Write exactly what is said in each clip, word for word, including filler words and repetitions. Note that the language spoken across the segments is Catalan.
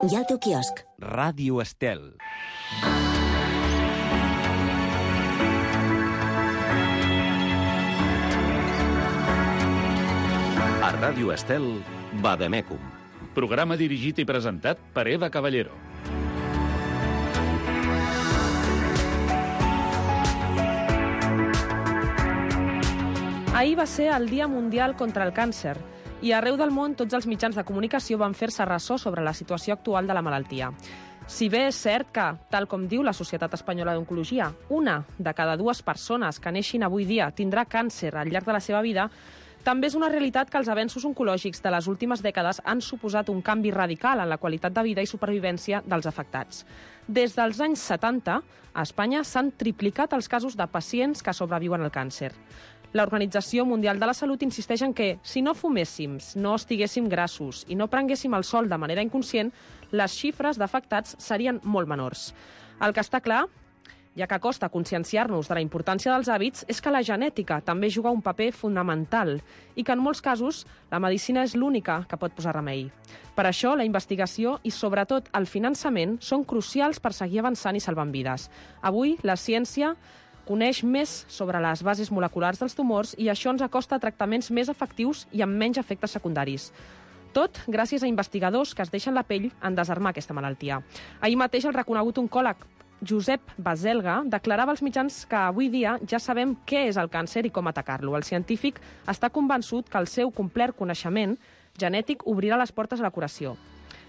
I al teu quiosc. Ràdio Estel. A Ràdio Estel, Vademecum. Programa dirigit i presentat per Eva Caballero. Ahir va ser el Dia Mundial contra el Càncer i arreu del món tots els mitjans de comunicació van fer-se ressò sobre la situació actual de la malaltia. Si bé és cert que, tal com diu la Societat Espanyola d'Oncologia, una de cada dues persones que neixin avui dia tindrà càncer al llarg de la seva vida, també és una realitat que els avenços oncològics de les últimes dècades han suposat un canvi radical en la qualitat de vida i supervivència dels afectats. Des dels anys setanta, a Espanya s'han triplicat els casos de pacients que sobreviuen al càncer. L'Organització Mundial de la Salut insisteix en que, si no fuméssim, no estiguéssim grassos i no prenguéssim el sol de manera inconscient, les xifres d'afectats serien molt menors. El que està clar, ja que costa conscienciar-nos de la importància dels hàbits, és que la genètica també juga un paper fonamental i que en molts casos la medicina és l'única que pot posar remei. Per això, la investigació i, sobretot, el finançament són crucials per seguir avançant i salvant vides. Avui, la ciència coneix més sobre les bases moleculars dels tumors i això ens acosta a tractaments més efectius i amb menys efectes secundaris. Tot gràcies a investigadors que es deixen la pell en desarmar aquesta malaltia. Ahir mateix el reconegut oncòleg Josep Baselga declarava als mitjans que avui dia ja sabem què és el càncer i com atacar-lo. El científic està convençut que el seu complet coneixement genètic obrirà les portes a la curació.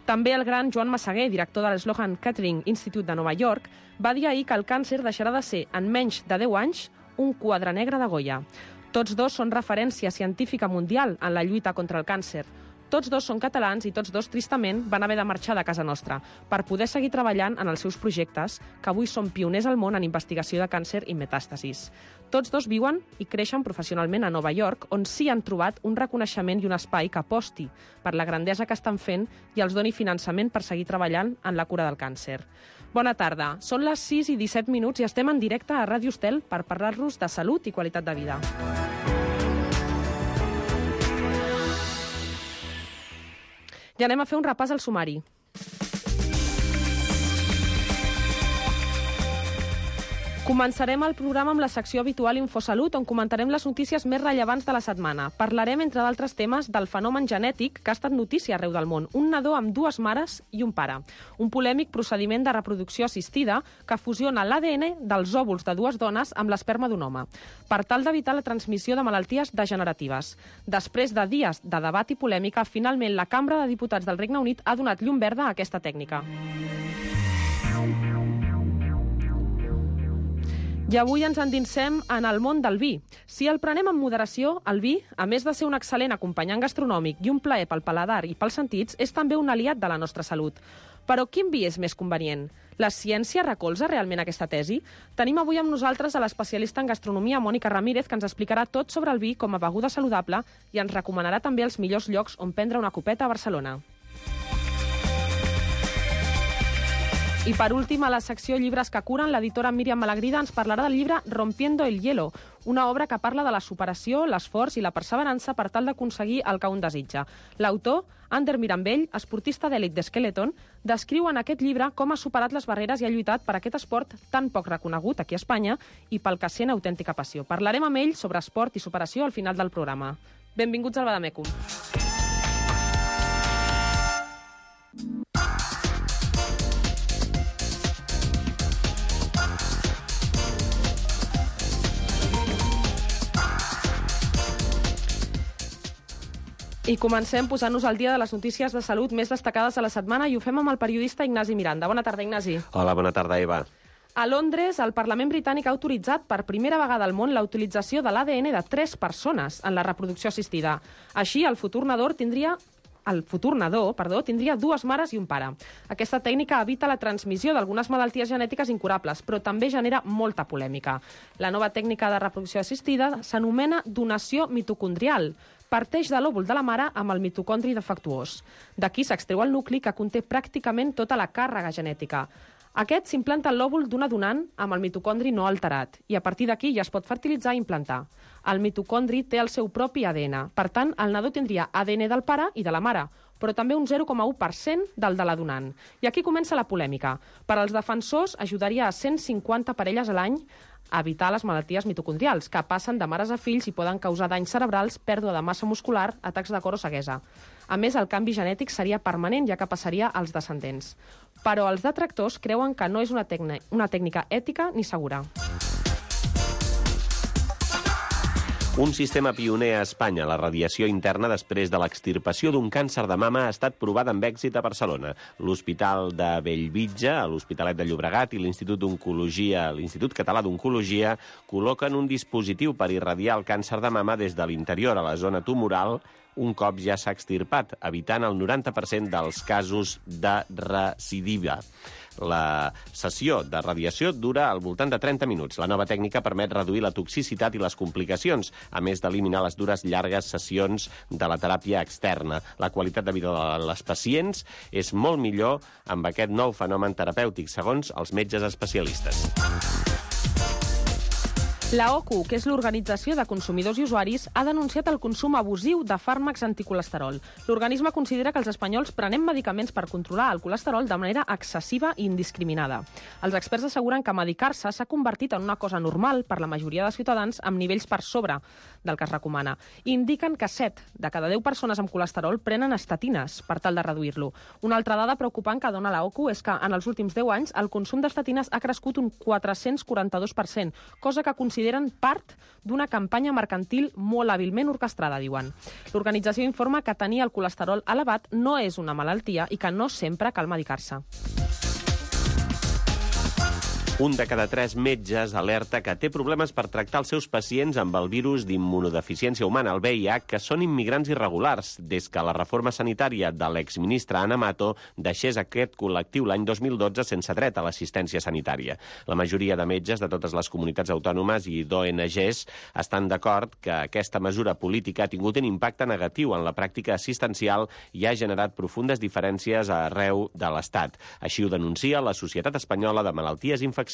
També el gran Joan Massaguer, director de l'Sloan Kettering Institute de Nova York, va dir ahir que el càncer deixarà de ser, en menys de deu anys, un quadre negre de Goya. Tots dos són referència científica mundial en la lluita contra el càncer. Tots dos són catalans i tots dos, tristament, van haver de marxar de casa nostra per poder seguir treballant en els seus projectes, que avui són pioners al món en investigació de càncer i metàstasis. Tots dos viuen i creixen professionalment a Nova York, on sí han trobat un reconeixement i un espai que aposti per la grandesa que estan fent i els doni finançament per seguir treballant en la cura del càncer. Bona tarda. Són les sis i disset minuts i estem en directe a Ràdio Estel per parlar-los de salut i qualitat de vida. I anem a fer un repàs al sumari. Començarem el programa amb la secció habitual Infosalut, on comentarem les notícies més rellevants de la setmana. Parlarem, entre d'altres temes, del fenomen genètic que ha estat notícia arreu del món. Un nadó amb dues mares i un pare. Un polèmic procediment de reproducció assistida que fusiona l'A D N dels òvuls de dues dones amb l'esperma d'un home, per tal d'evitar la transmissió de malalties degeneratives. Després de dies de debat i polèmica, finalment la Cambra de Diputats del Regne Unit ha donat llum verda a aquesta tècnica. I avui ens endinsem en el món del vi. Si el prenem amb moderació, el vi, a més de ser un excel·lent acompanyant gastronòmic i un plaer pel paladar i pels sentits, és també un aliat de la nostra salut. Però quin vi és més convenient? La ciència recolza realment aquesta tesi? Tenim avui amb nosaltres a l'especialista en gastronomia, Mònica Ramírez, que ens explicarà tot sobre el vi com a beguda saludable i ens recomanarà també els millors llocs on prendre una copeta a Barcelona. I per últim, a la secció Llibres que curen, l'editora Míriam Malagrida ens parlarà del llibre Rompiendo el hielo, una obra que parla de la superació, l'esforç i la perseverança per tal d'aconseguir el que un desitja. L'autor, Ander Mirambell, esportista d'èlit d'Skeleton, descriu en aquest llibre com ha superat les barreres i ha lluitat per aquest esport tan poc reconegut aquí a Espanya i pel que sent autèntica passió. Parlarem amb ell sobre esport i superació al final del programa. Benvinguts al Vademecum. I comencem posant-nos al dia de les notícies de salut més destacades de la setmana i ho fem amb el periodista Ignasi Miranda. Bona tarda, Ignasi. Hola, bona tarda, Eva. A Londres, el Parlament britànic ha autoritzat per primera vegada al món la utilització de l'A D N de tres persones en la reproducció assistida. Així, el futur nadó tindria... El futur nadó, perdó, tindria dues mares i un pare. Aquesta tècnica evita la transmissió d'algunes malalties genètiques incurables, però també genera molta polèmica. La nova tècnica de reproducció assistida s'anomena donació mitocondrial. Parteix de l'òvul de la mare amb el mitocondri defectuós. D'aquí s'extreu el nucli que conté pràcticament tota la càrrega genètica. Aquest s'implanta en l'òvul d'una donant amb el mitocondri no alterat i a partir d'aquí ja es pot fertilitzar i implantar. El mitocondri té el seu propi A D N. Per tant, el nadó tindria A D N del pare i de la mare, però també un zero coma u per cent del de la donant. I aquí comença la polèmica. Per als defensors ajudaria a cent cinquanta parelles a l'any a evitar les malalties mitocondrials, que passen de mares a fills i poden causar danys cerebrals, pèrdua de massa muscular, atacs de cor o ceguesa. A més, el canvi genètic seria permanent, ja que passaria als descendents. Però els detractors creuen que no és una, tècnica, una tècnica ètica ni segura. Un sistema pioner a Espanya, la radiació interna després de l'extirpació d'un càncer de mama, ha estat provada amb èxit a Barcelona. L'Hospital de Bellvitge, l'Hospitalet de Llobregat i l'Institut d'Oncologia, l'Institut Català d'Oncologia col·loquen un dispositiu per irradiar el càncer de mama des de l'interior a la zona tumoral un cop ja s'ha extirpat, evitant el noranta per cent dels casos de recidiva. La sessió de radiació dura al voltant de trenta minuts. La nova tècnica permet reduir la toxicitat i les complicacions, a més d'eliminar les dures llargues sessions de la teràpia externa. La qualitat de vida de les pacients és molt millor amb aquest nou fenomen terapèutic, segons els metges especialistes. La O C U, que és l'Organització de Consumidors i Usuaris, ha denunciat el consum abusiu de fàrmacs anticolesterol. L'organisme considera que els espanyols prenem medicaments per controlar el colesterol de manera excessiva i indiscriminada. Els experts asseguren que medicar-se s'ha convertit en una cosa normal per la majoria de ciutadans amb nivells per sobre del que es recomana. I indiquen que set de cada deu persones amb colesterol prenen estatines per tal de reduir-lo. Una altra dada preocupant que dona la O C U és que en els últims deu anys el consum d'estatines ha crescut un quatre-cents quaranta-dos per cent, cosa que considera consideren part d'una campanya mercantil molt hàbilment orquestrada, diuen. L'organització informa que tenir el colesterol elevat no és una malaltia i que no sempre cal medicar-se. Un de cada tres metges alerta que té problemes per tractar els seus pacients amb el virus d'immunodeficiència humana, el V I H, que són immigrants irregulars, des que la reforma sanitària de l'exministre Ana Mato deixés aquest col·lectiu l'any dos mil dotze sense dret a l'assistència sanitària. La majoria de metges de totes les comunitats autònomes i d'O N Ges estan d'acord que aquesta mesura política ha tingut un impacte negatiu en la pràctica assistencial i ha generat profundes diferències arreu de l'Estat. Així ho denuncia la Societat Espanyola de Malalties Infeccioses.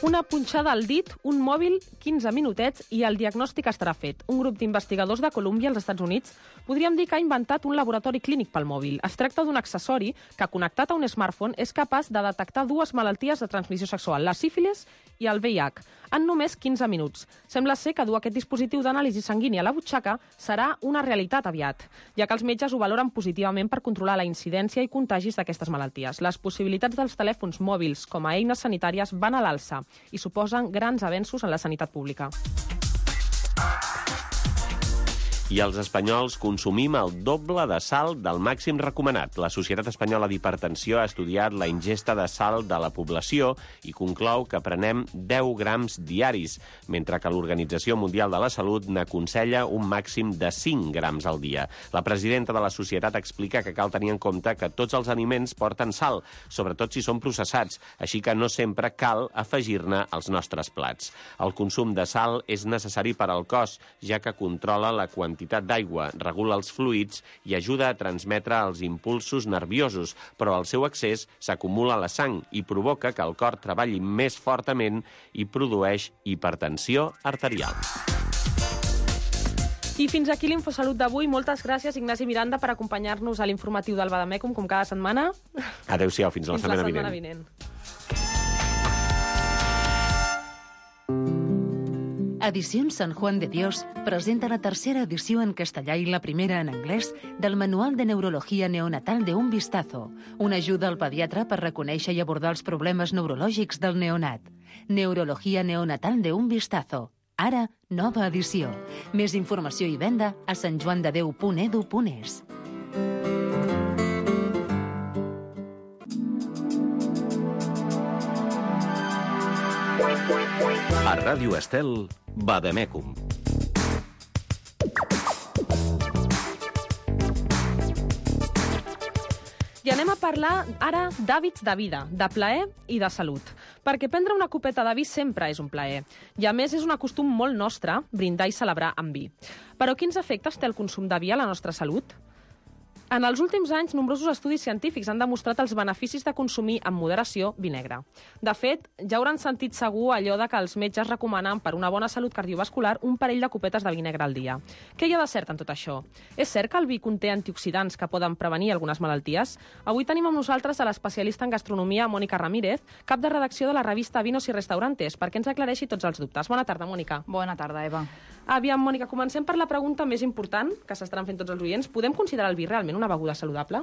Una punxada al dit, un mòbil, quinze minutets i el diagnòstic estarà fet. Un grup d'investigadors de Colúmbia, als Estats Units, podríem dir que ha inventat un laboratori clínic pel mòbil. Es tracta d'un accessori que, connectat a un smartphone, és capaç de detectar dues malalties de transmissió sexual, la sífilis i el V I H, en només quinze minuts. Sembla ser que dur aquest dispositiu d'anàlisi sanguini a la butxaca serà una realitat aviat, ja que els metges ho valoren positivament per controlar la incidència i contagis d'aquestes malalties. Les possibilitats dels telèfons mòbils com a eines sanitàries van a l'alça i suposen grans avenços en la sanitat pública. I els espanyols consumim el doble de sal del màxim recomanat. La Societat Espanyola d'Hipertensió ha estudiat la ingesta de sal de la població i conclou que prenem deu grams diaris, mentre que l'Organització Mundial de la Salut n'aconsella un màxim de cinc grams al dia. La presidenta de la societat explica que cal tenir en compte que tots els aliments porten sal, sobretot si són processats, així que no sempre cal afegir-ne als nostres plats. El consum de sal és necessari per al cos, ja que controla la quantitat quantitat d'aigua, regula els fluids i ajuda a transmetre els impulsos nerviosos, però el seu excés s'acumula a la sang i provoca que el cor treballi més fortament i produeix hipertensió arterial. I fins aquí l'Infosalut d'avui. Moltes gràcies, Ignasi Miranda, per acompanyar-nos a l'informatiu del Bademecum, com cada setmana. Adéu-siau, fins la setmana vinent. vinent. Edicions San Juan de Dios presenta la tercera edició en castellà i la primera en anglès del Manual de Neurologia Neonatal de Un Vistazo, una ajuda al pediatre per reconèixer i abordar els problemes neurològics del neonat. Neurologia Neonatal de Un Vistazo. Ara, nova edició. Més informació i venda a santjoandedeu punt edu punt es. A Ràdio Estel, Bademecum. I anem a parlar ara d'hàbits de vida, de plaer i de salut. Perquè prendre una copeta de vi sempre és un plaer. I a més és un costum molt nostre brindar i celebrar amb vi. Però quins efectes té el consum de vi a la nostra salut? En els últims anys, nombrosos estudis científics han demostrat els beneficis de consumir amb moderació vi negre. De fet, ja hauran sentit segur allò de que els metges recomanen per una bona salut cardiovascular un parell de copetes de vi negre al dia. Què hi ha de cert en tot això? És cert que el vi conté antioxidants que poden prevenir algunes malalties? Avui tenim amb nosaltres a l'especialista en gastronomia Mònica Ramírez, cap de redacció de la revista Vinos y Restaurantes, perquè ens aclareixi tots els dubtes. Bona tarda, Mònica. Bona tarda, Eva. Aviam, Mònica, comencem per la pregunta més important que s'estaran fent tots els oients. Podem considerar el vi realment una beguda saludable?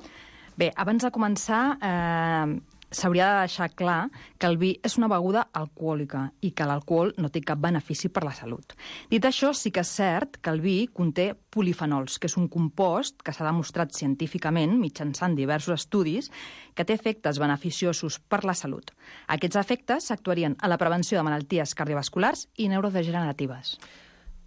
Bé, abans de començar, eh, s'hauria de deixar clar que el vi és una beguda alcohòlica i que l'alcohol no té cap benefici per la salut. Dit això, sí que és cert que el vi conté polifenols, que és un compost que s'ha demostrat científicament, mitjançant diversos estudis, que té efectes beneficiosos per la salut. Aquests efectes s'actuarien a la prevenció de malalties cardiovasculars i neurodegeneratives.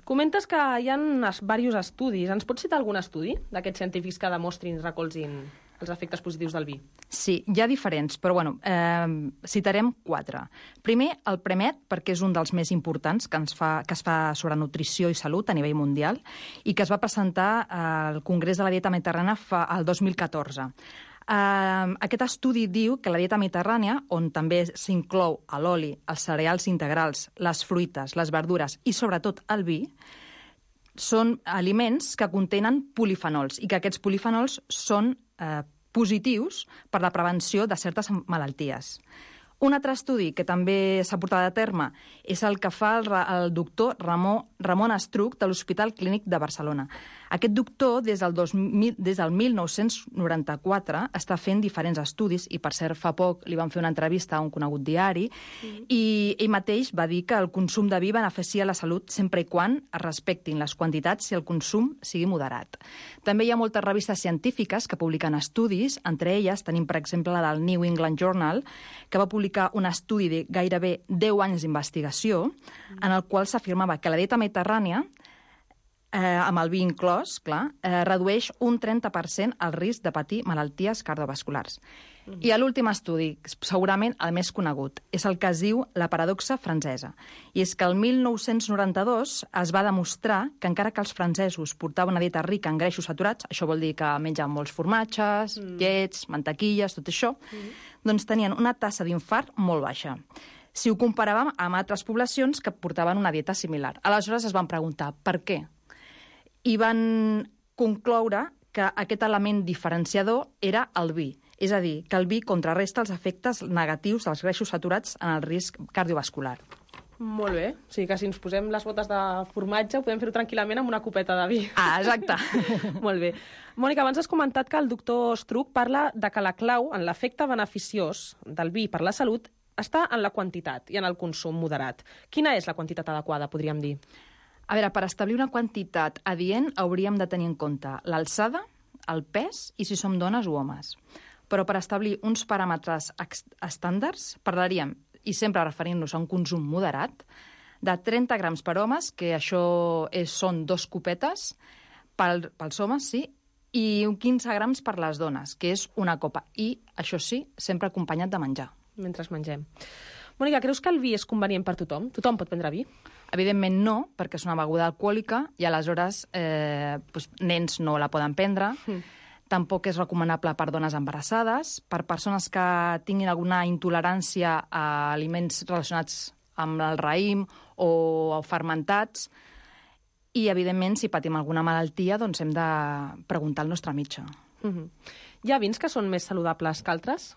Comentes que hi ha diversos estudis. Ens pots citar algun estudi d'aquests científics que demostrin, recolzin els efectes positius del vi? Sí, hi ha diferents, però bueno, eh, citarem quatre. Primer, el PREMET, perquè és un dels més importants que, ens fa, que es fa sobre nutrició i salut a nivell mundial i que es va presentar al Congrés de la Dieta Mediterrània fa, el dos mil catorze. Uh, aquest estudi diu que la dieta mediterrània, on també s'inclou l'oli, els cereals integrals, les fruites, les verdures i sobretot el vi, són aliments que contenen polifenols i que aquests polifenols són eh, positius per la prevenció de certes malalties. Un altre estudi que també s'ha portat a terme és el que fa el, el doctor Ramon, Ramon Estruch de l'Hospital Clínic de Barcelona. Aquest doctor, des del, dos mil, des del mil nou-cents noranta-quatre, està fent diferents estudis i, per cert, fa poc li van fer una entrevista a un conegut diari mm. i ell mateix va dir que el consum de vi beneficia la salut sempre i quan es respectin les quantitats i el consum sigui moderat. També hi ha moltes revistes científiques que publiquen estudis, entre elles tenim, per exemple, la del New England Journal, que va publicar un estudi de gairebé deu anys d'investigació mm. en el qual s'afirmava que la dieta mediterrània Eh, amb el vi inclòs, clar, eh, redueix un trenta per cent el risc de patir malalties cardiovasculars. Mm. I a l'últim estudi, segurament el més conegut, és el que es diu la paradoxa francesa. I és que el mil nou-cents noranta-dos es va demostrar que encara que els francesos portaven una dieta rica en greixos saturats, això vol dir que mengen molts formatges, mm. llets, mantequilles, tot això, mm. doncs tenien una tassa d'infart molt baixa. Si ho comparàvem amb altres poblacions que portaven una dieta similar. Aleshores es van preguntar per què? I van concloure que aquest element diferenciador era el vi. És a dir, que el vi contrarresta els efectes negatius dels greixos saturats en el risc cardiovascular. Molt bé. O sigui que si ens posem les botes de formatge podem fer-ho tranquil·lament amb una copeta de vi. Ah, exacte. Molt bé. Mònica, abans has comentat que el doctor Estruch parla de que la clau en l'efecte beneficiós del vi per la salut està en la quantitat i en el consum moderat. Quina és la quantitat adequada, podríem dir? A veure, per establir una quantitat adient hauríem de tenir en compte l'alçada, el pes i si som dones o homes. Però per establir uns paràmetres estàndards parlaríem, i sempre referint-nos a un consum moderat, de trenta grams per homes, que això és, són dos copetes pel, pels homes, sí, i quinze grams per les dones, que és una copa. I, això sí, sempre acompanyat de menjar. Mentre mengem. Mònica, creus que el vi és convenient per tothom? Tothom pot prendre vi? Evidentment no, perquè és una beguda alcohòlica i aleshores eh, doncs, nens no la poden prendre. Mm. Tampoc és recomanable per dones embarassades, per persones que tinguin alguna intolerància a aliments relacionats amb el raïm o fermentats. I, evidentment, si patim alguna malaltia, doncs hem de preguntar al nostre metge. Mm-hmm. Hi ha vins que són més saludables que altres?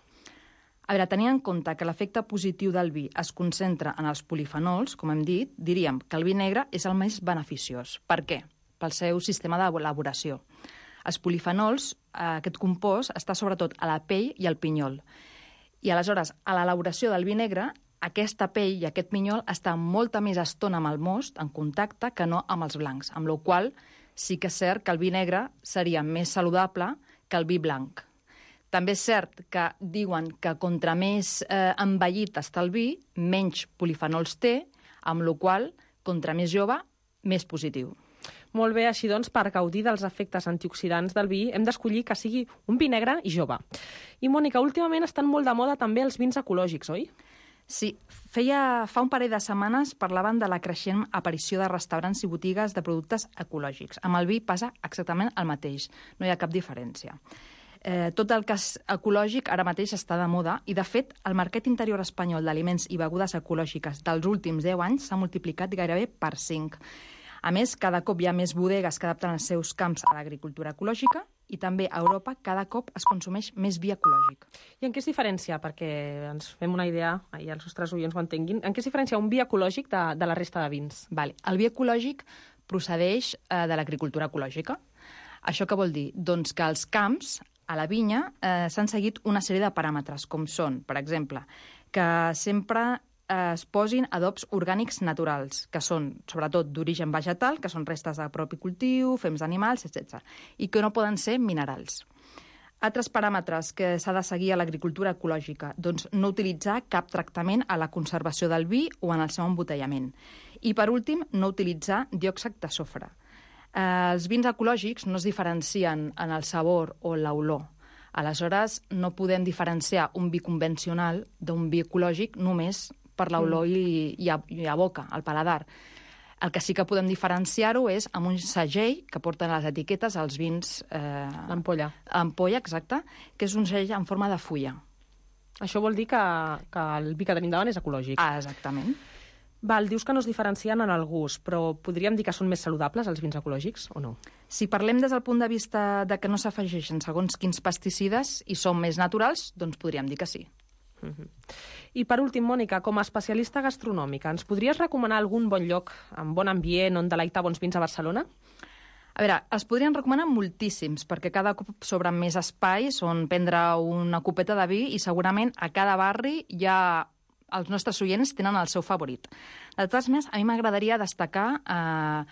A veure, tenint en compte que l'efecte positiu del vi es concentra en els polifenols, com hem dit, diríem que el vi negre és el més beneficiós. Per què? Pel seu sistema d'elaboració. Els polifenols, aquest compost, està sobretot a la pell i al pinyol. I aleshores, a l'elaboració del vi negre, aquesta pell i aquest pinyol està molta més estona amb el most, en contacte, que no amb els blancs, amb la qual cosa sí que és cert que el vi negre seria més saludable que el vi blanc. També és cert que diuen que contra més eh, envellit està el vi, menys polifenols té, amb la qual cosa, contra més jove, més positiu. Molt bé, així doncs, per gaudir dels efectes antioxidants del vi, hem d'escollir que sigui un vi negre i jove. I, Mònica, últimament estan molt de moda també els vins ecològics, oi? Sí, feia, fa un parell de setmanes parlaven de la creixent aparició de restaurants i botigues de productes ecològics. Amb el vi passa exactament el mateix, no hi ha cap diferència. Eh, tot el que és ecològic ara mateix està de moda i, de fet, el mercat interior espanyol d'aliments i begudes ecològiques dels últims deu anys s'ha multiplicat gairebé per cinc. A més, cada cop hi ha més bodegues que adapten els seus camps a l'agricultura ecològica i també a Europa cada cop es consumeix més vi ecològic. I en què es diferencia, perquè ens fem una idea, i els nostres oients ho entenguin, en què es diferencia un vi ecològic de, de la resta de vins? Vale. El vi ecològic procedeix eh, de l'agricultura ecològica. Això què vol dir? Doncs que els camps, a la vinya, eh, s'han seguit una sèrie de paràmetres, com són, per exemple, que sempre es posin adobs orgànics naturals, que són, sobretot, d'origen vegetal, que són restes de propi cultiu, fems d'animals, etcètera, i que no poden ser minerals. Altres paràmetres que s'ha de seguir a l'agricultura ecològica, doncs no utilitzar cap tractament a la conservació del vi o en el seu embotellament. I, per últim, no utilitzar diòxid de sofre. Eh, els vins ecològics no es diferencien en el sabor o l'olor. Aleshores, no podem diferenciar un vi convencional d'un vi ecològic només per l'olor mm. i, i, a, i a boca, al paladar. El que sí que podem diferenciar-ho és amb un segell que porten les etiquetes als vins... Eh, L'ampolla. Ampolla, exacte, que és un segell en forma de fulla. Això vol dir que, que el vi que tenim davant és ecològic. Ah, exactament. Val, dius que no es diferencien en el gust, però podríem dir que són més saludables els vins ecològics o no? Si parlem des del punt de vista de que no s'afegeixen segons quins pesticides i són més naturals, doncs podríem dir que sí. Uh-huh. I per últim, Mònica, com a especialista gastronòmica, ens podries recomanar algun bon lloc amb bon ambient on deleitar bons vins a Barcelona? A veure, els podrien recomanar moltíssims, perquè cada cop s'obren més espais on prendre una copeta de vi i segurament a cada barri hi ha... els nostres oients tenen el seu favorit. De totes maneres, a mi m'agradaria destacar eh,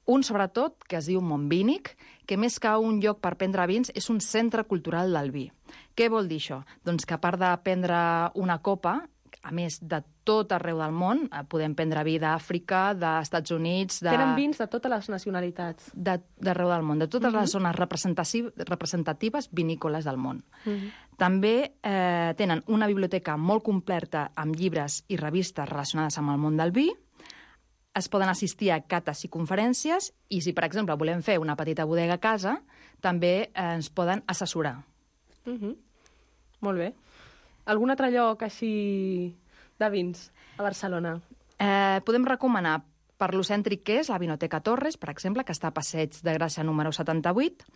un, sobretot, que es diu Montvínic, que més que un lloc per prendre vins és un centre cultural del vi. Què vol dir això? Doncs que a part de prendre una copa, a més de tot arreu del món, podem prendre vi d'Àfrica, dels Estats Units... De... Tenen vins de totes les nacionalitats. D'arreu del món, de totes uh-huh. les zones representatives vinícoles del món. Uh-huh. També eh, tenen una biblioteca molt completa amb llibres i revistes relacionades amb el món del vi. Es poden assistir a cates i conferències i si, per exemple, volem fer una petita bodega a casa, també eh, ens poden assessorar. Uh-huh. Molt bé. Algun altre lloc així de vins a Barcelona? Eh, podem recomanar per lo cèntric que és la Vinoteca Torres, per exemple, que està a Passeig de Gràcia número setanta-vuit,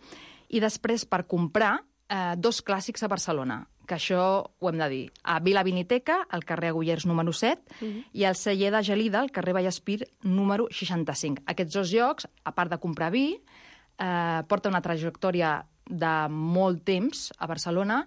i després per comprar eh, dos clàssics a Barcelona, que això ho hem de dir. A Vila Viniteca, al carrer Agullers número set, uh-huh. i al celler de Gelida, al carrer Vallespir número seixanta-cinc. Aquests dos llocs, a part de comprar vi, eh, porten una trajectòria de molt temps a Barcelona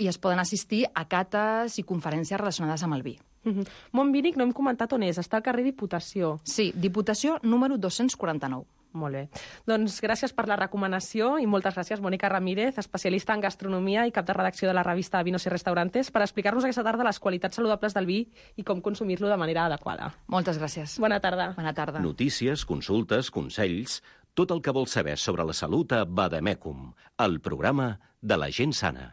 i es poden assistir a cates i conferències relacionades amb el vi. Uh-huh. Montvínic no hem comentat on és, està al carrer Diputació. Sí, Diputació número dos-cents quaranta-nou. Molt bé. Doncs gràcies per la recomanació i moltes gràcies, Mònica Ramírez, especialista en gastronomia i cap de redacció de la revista Vinos i Restaurantes, per explicar-nos aquesta tarda les qualitats saludables del vi i com consumir-lo de manera adequada. Moltes gràcies. Bona tarda. Bona tarda. Notícies, consultes, consells, tot el que vols saber sobre la salut a Vademecum, el programa de la gent sana.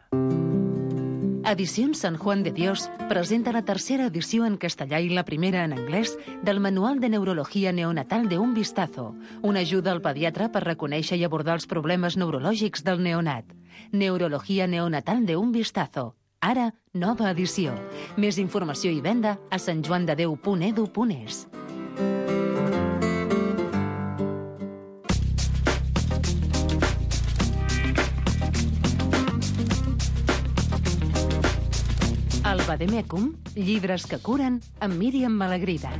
Edicions San Juan de Dios presenta la tercera edició en castellà i la primera en anglès del Manual de Neurología Neonatal de un Vistazo, una ajuda al pediatre per reconèixer i abordar els problemes neurològics del neonat. Neurología Neonatal de un Vistazo. Ara, nova edició. Més informació i venda a santjoandedeu punt edu punt es. Al Vademecum, llibres que curen amb Míriam Malagrida.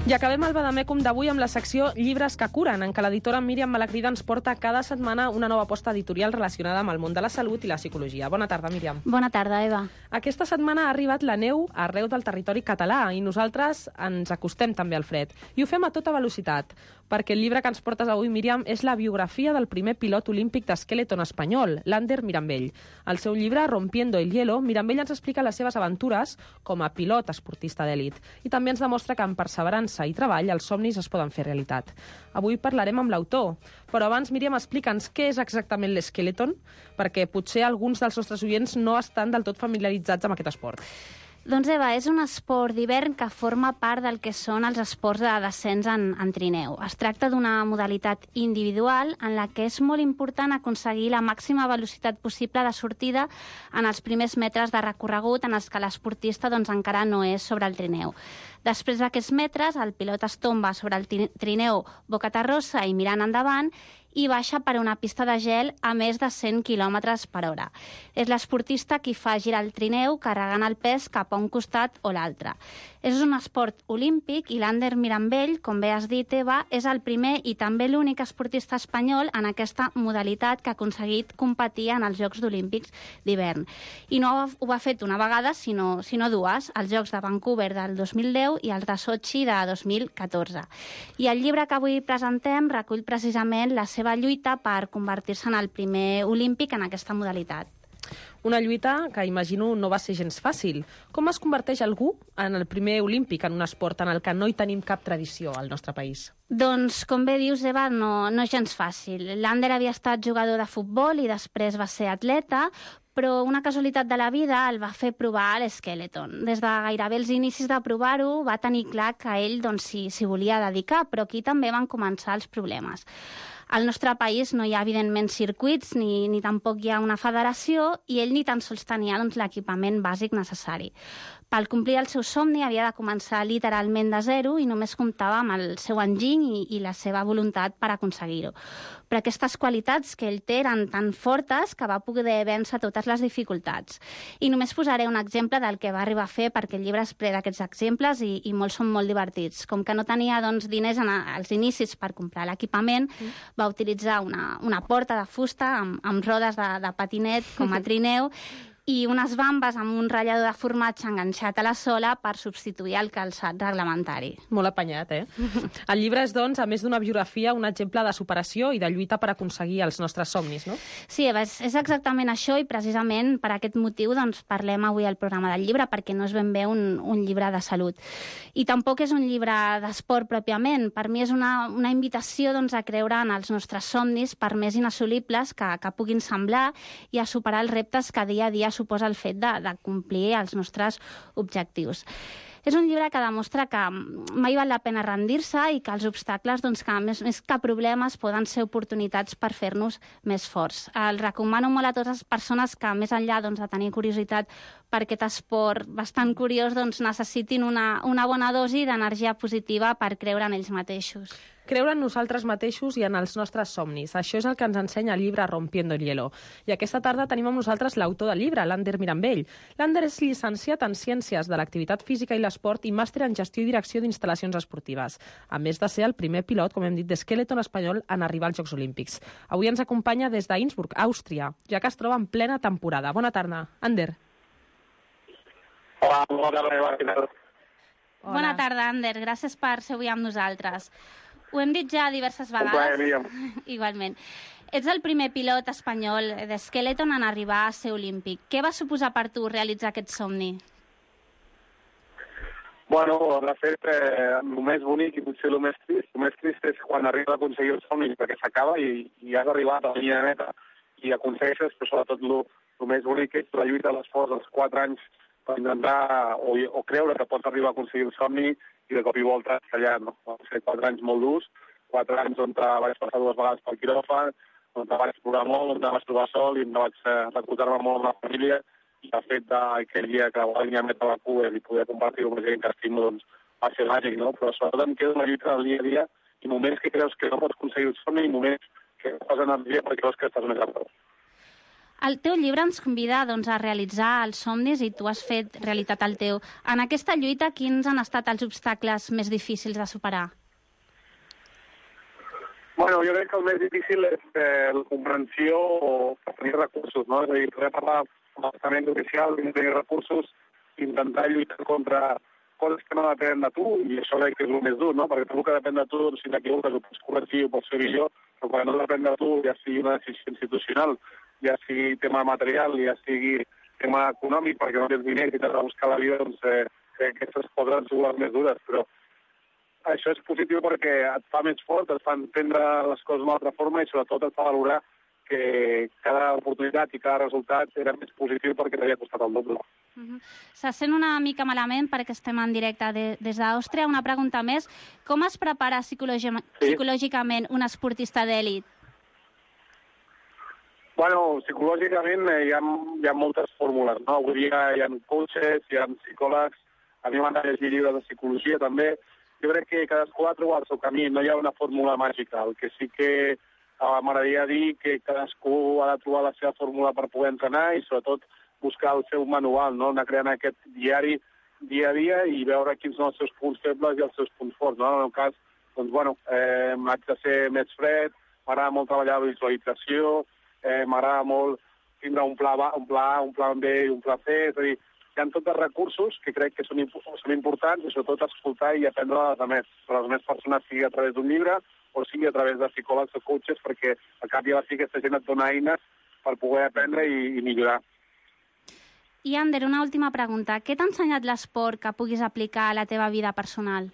I acabem el Vademecum d'avui amb la secció Llibres que curen, en què l'editora Míriam Malagrida ens porta cada setmana una nova aposta editorial relacionada amb el món de la salut i la psicologia. Bona tarda, Míriam. Bona tarda, Eva. Aquesta setmana ha arribat la neu arreu del territori català i nosaltres ens acostem també al fred. I ho fem a tota velocitat. perquè el llibre que ens portes avui, Míriam, és la biografia del primer pilot olímpic d'esqueleton espanyol, l'Ander Mirambell. Al seu llibre, Rompiendo el hielo, Mirambell ens explica les seves aventures com a pilot esportista d'èlit i també ens demostra que amb perseverança i treball els somnis es poden fer realitat. Avui parlarem amb l'autor, però abans, Míriam, explica'ns què és exactament l'esqueleton, perquè potser alguns dels nostres oients no estan del tot familiaritzats amb aquest esport. Doncs Eva, és un esport d'hivern que forma part del que són els esports de descens en, en trineu. Es tracta d'una modalitat individual en la que és molt important aconseguir la màxima velocitat possible de sortida en els primers metres de recorregut en els que l'esportista doncs, encara no és sobre el trineu. Després d'aquests metres, el pilot es tomba sobre el trineu bocaterrosa i mirant endavant i baixa per una pista de gel a més de cent quilòmetres per hora. És l'esportista qui fa girar el trineu carregant el pes cap a un costat o l'altre. És un esport olímpic i l'Ander Mirambell, com bé has dit, Eva, és el primer i també l'únic esportista espanyol en aquesta modalitat que ha aconseguit competir en els Jocs Olímpics d'hivern. I no ho ha fet una vegada, sinó, sinó dues, els Jocs de Vancouver del dos mil deu i els de Sochi de dos mil catorze. I el llibre que avui presentem recull precisament la seva lluita per convertir-se en el primer olímpic en aquesta modalitat. Una lluita que, imagino, no va ser gens fàcil. Com es converteix algú en el primer olímpic en un esport en el que no hi tenim cap tradició al nostre país? Doncs, com bé dius, Eva, no, no és gens fàcil. L'Ander havia estat jugador de futbol i després va ser atleta, però una casualitat de la vida el va fer provar l'esqueleton. Des de gairebé els inicis de provar-ho va tenir clar que ell doncs, s'hi si volia dedicar, però aquí també van començar els problemes. Al nostre país no hi ha, evidentment, circuits ni, ni tampoc hi ha una federació i ell ni tan sols tenia doncs, l'equipament bàsic necessari. Per complir el seu somni havia de començar literalment de zero i només comptava amb el seu enginy i, i la seva voluntat per aconseguir-ho. Però aquestes qualitats que ell té eren tan fortes que va poder vèncer totes les dificultats. I només posaré un exemple del que va arribar a fer perquè el llibre es ple d'aquests exemples i, i molts són molt divertits. Com que no tenia doncs, diners en a, als inicis per comprar l'equipament, mm. va utilitzar una, una porta de fusta amb, amb rodes de, de patinet com a trineu i unes bambes amb un ratllador de formatge enganxat a la sola per substituir el calçat reglamentari. Molt apanyat, eh? El llibre és, doncs, a més d'una biografia, un exemple de superació i de lluita per aconseguir els nostres somnis, no? Sí, Eva, és, és exactament això i precisament per aquest motiu doncs, parlem avui al programa del llibre, perquè no és ben bé un, un llibre de salut. I tampoc és un llibre d'esport pròpiament. Per mi és una, una invitació doncs, a creure en els nostres somnis, per més inassolibles que, que puguin semblar, i a superar els reptes que dia a dia suposa el fet de, de complir els nostres objectius. És un llibre que demostra que mai val la pena rendir-se i que els obstacles, doncs, que més, més que problemes, poden ser oportunitats per fer-nos més forts. El recomano molt a totes les persones que, més enllà doncs, de tenir curiositat per aquest esport bastant curiós, doncs, necessitin una, una bona dosi d'energia positiva per creure en ells mateixos. Creure en nosaltres mateixos i en els nostres somnis. Això és el que ens ensenya el llibre Rompiendo el hielo. I aquesta tarda tenim amb nosaltres l'autor del llibre, l'Ander Mirambell. L'Ander és llicenciat en Ciències de l'Activitat Física i l'Esport i màster en Gestió i Direcció d'Instal·lacions Esportives, a més de ser el primer pilot, com hem dit, d'esqueleton espanyol en arribar als Jocs Olímpics. Avui ens acompanya des d'Innsbruck, Àustria, ja que es troba en plena temporada. Bona tarda, Ander. Hola, bona tarda. Bona tarda, Ander. Gràcies per ser avui amb nosaltres. Ho hem dit ja diverses vegades. Plaer, igualment. Ets el primer pilot espanyol d'esqueleton en arribar a ser olímpic. Què va suposar per tu realitzar aquest somni? Bueno, de fet, eh, el més bonic i potser el més trist, el més trist és quan arribes a aconseguir el somni perquè s'acaba i, i has arribat a la línia de meta i aconsegueixes, però sobretot el, el més bonic és la lluita, l'esforç dels quatre anys per intentar o, o creure que pots arribar a aconseguir el somni i de cop i volta fallar, no? Van ser quatre anys molt durs, quatre anys on vaig passar dues vegades pel quiròfan, on vaig explorar molt, on vaig trobar sol i on vaig recolzar-me molt amb la família i el fet d'aquell dia que la línia meta a Vancouver i poder compartir-ho amb gent que estimo, doncs va ser màgic, no? Però sobretot em queda una lluita del dia a dia i moments que creus que no pots aconseguir el somni i moments que fas energia perquè creus que estàs més a prop. El teu llibre ens convida doncs, a realitzar els somnis i tu has fet realitat el teu. En aquesta lluita, quins han estat els obstacles més difícils de superar? Bueno, jo crec que el més difícil és eh, la comprensió o tenir recursos, no? És a dir, poder parlar amb l'estament oficial, tenir recursos, intentar lluitar contra coses que no depenen de tu, i això crec que és el més dur, no? Perquè tot el que depèn de tu, doncs, si t'equivoques, ho pots corregir, ho pots fer millor, però quan no depèn de tu, ja sigui una decisió institucional, ja sigui tema material, ja sigui tema econòmic, perquè no tens diners i t'has de buscar la vida, doncs eh, crec que aquestes coses han sigut les més dures, però això és positiu perquè et fa més fort, et fa entendre les coses d'una altra forma i sobretot et fa valorar que cada oportunitat i cada resultat era més positiu perquè t'havia costat el doble. Uh-huh. Se sent una mica malament perquè estem en directe de, des d'Àustria. Una pregunta més. Com es prepara psicologi sí. psicològicament un esportista d'èlit? Bueno, psicològicament eh, hi, ha, hi ha moltes fórmules, no? Avui dia hi ha coaches, hi ha psicòlegs, a mi m'han de llegir llibres de psicologia també. Jo crec que cadascú ha de trobar el seu camí, no hi ha una fórmula màgica. El que sí que eh, m'agradaria dir que cadascú ha de trobar la seva fórmula per poder entrenar i sobretot buscar el seu manual, no? Anar creant aquest diari dia a dia i veure quins són els seus punts febles i els seus punts forts, no? En el meu cas, doncs, bueno, eh, m'haig de ser més fred, m'agrada molt treballar la visualització, eh, m'agrada molt tindre un pla, un pla A, un pla B i un pla C, és a dir, hi ha tots els recursos que crec que són, són importants i sobretot escoltar i aprendre a les altres, per a les altres persones, sigui a través d'un llibre o sigui a través de psicòlegs o coaches, perquè al cap i a la fi aquesta gent et dona eines per poder aprendre i, i millorar. I, Ander, una última pregunta. Què t'ha ensenyat l'esport que puguis aplicar a la teva vida personal?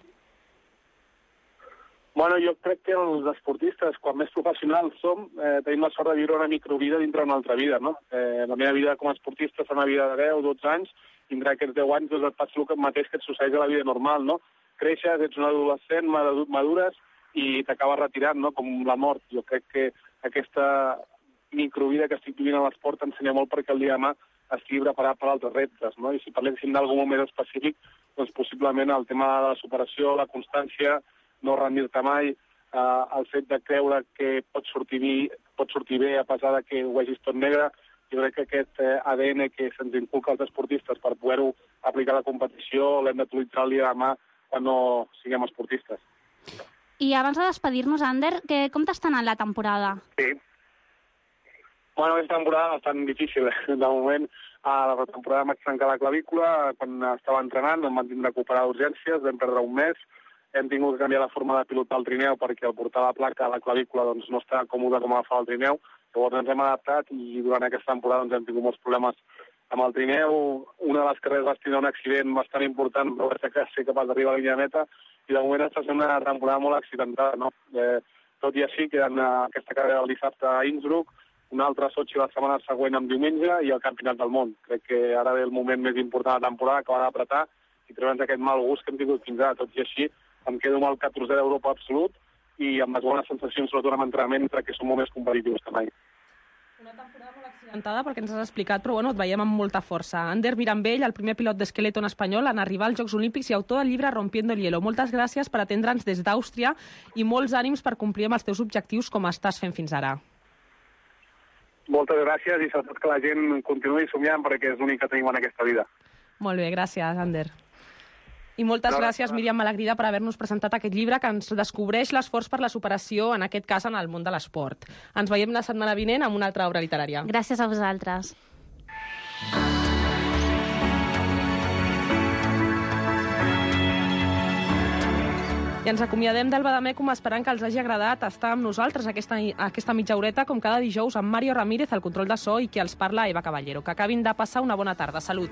Bueno, jo crec que els esportistes, quan més professionals som, eh, tenim la sort de viure una microvida dintre una altra vida, no? Eh, la meva vida com a esportista és una vida de deu, dotze anys, i entre aquests deu anys doncs, et passa el mateix que et succeeix a la vida normal, no? Creixes, ets un adolescent, madures, i t'acabes retirant, no? Com la mort. Jo crec que aquesta microvida que estic vivint a l'esport t'ensenya molt perquè el dia de demà estigui preparat per altres reptes, no? I si parléssim d'algun moment específic, doncs possiblement el tema de la superació, la constància, no rendir-te mai, eh, el fet de creure que pot sortir, bé, pot sortir bé a pesar de que ho vegis tot negre. Jo crec que aquest eh, A D N que se'ns inculca als esportistes per poder-ho aplicar a la competició l'hem d'utilitzar el dia de demà quan no siguem esportistes. I abans de despedir-nos, Ander, que, com t'està anant la temporada? Sí. Bueno, aquesta temporada bastant difícil. De moment, a la temporada vaig trencar la clavícula, quan estava entrenant em van tindre que operar d'urgències, vam perdre un mes, hem tingut que canviar la forma de pilotar el trineu perquè al portar la placa a la clavícula doncs, no està còmode com agafar el trineu, llavors ens hem adaptat i durant aquesta temporada doncs, hem tingut molts problemes amb el trineu. Una de les carreres vaig tenir un accident bastant important, però vaig ser capaç d'arribar a la línia de meta i de moment està sent una temporada molt accidentada, no? Eh, tot i així, queden aquesta carrera el dissabte a Innsbruck, una altra a Sochi la setmana següent amb diumenge i el Campionat del Món. Crec que ara ve el moment més important de la temporada que va d'apretar i treure'ns aquest mal gust que hem tingut fins ara. Tot i així, em quedo amb el catorzè d'Europa absolut i amb les bones sensacions, sobretot amb entrenament, perquè som molt més competitius que mai. Una temporada molt accidentada perquè ens has explicat, però bueno, et veiem amb molta força. Ander Mirambell, el primer pilot d'esqueleton espanyol en arribar als Jocs Olímpics i autor del llibre Rompiendo el hielo. Moltes gràcies per atendre'ns des d'Àustria i molts ànims per complir amb els teus objectius com estàs fent fins ara. Moltes gràcies i sobretot que la gent continuï somiant perquè és l'únic que tenim en aquesta vida. Molt bé, gràcies, Ander. I moltes no, gràcies, Míriam Malagrida, per haver-nos presentat aquest llibre que ens descobreix l'esforç per la superació, en aquest cas en el món de l'esport. Ens veiem la setmana vinent amb una altra obra literària. Gràcies a vosaltres. I ens acomiadem del Bademecum esperant que els hagi agradat estar amb nosaltres aquesta, aquesta mitja horeta, com cada dijous, amb Mario Ramírez, al control de so, i qui els parla, Eva Caballero. Que acabin de passar una bona tarda. Salut!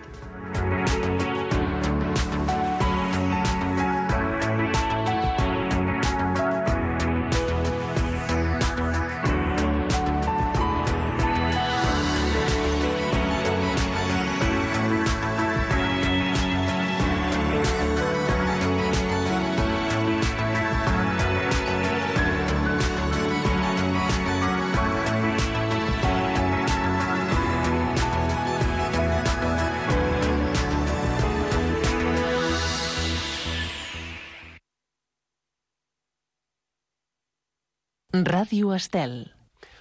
Ràdio Estel.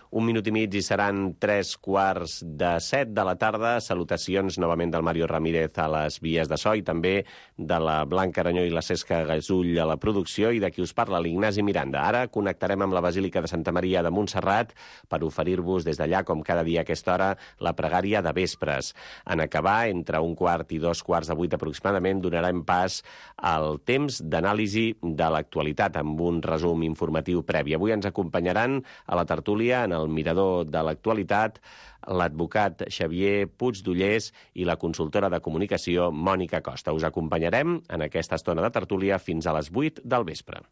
Un minut i mig i seran tres quarts de set de la tarda. Salutacions novament del Mario Ramírez a les vies de so i també de la Blanca Aranyó i la Cesca Gasull a la producció i de qui us parla, l'Ignasi Miranda. Ara connectarem amb la Basílica de Santa Maria de Montserrat per oferir-vos des d'allà, com cada dia a aquesta hora, la pregària de vespres. En acabar, entre un quart i dos quarts de vuit aproximadament, donarem pas al temps d'anàlisi de l'actualitat amb un resum informatiu previ. Avui ens acompanyaran a la tertúlia en el mirador de l'actualitat l'advocat Xavier Puigdollers i la consultora de comunicació Mònica Costa. Us acompanyarem en aquesta estona de tertúlia fins a les vuit del vespre.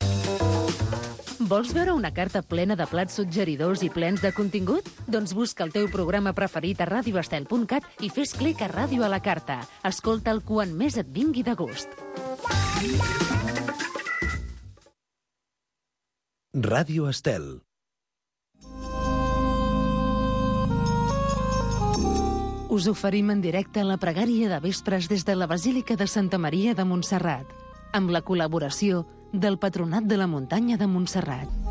Vols veure una carta plena de plats suggeridors i plens de contingut? Doncs busca el teu programa preferit a radio estel punt cat i fes clic a Ràdio a la Carta. Escolta'l quan més et vingui de gust. Ràdio Estel. Us oferim en directe la pregària de vespres des de la Basílica de Santa Maria de Montserrat, amb la col·laboració del Patronat de la Muntanya de Montserrat.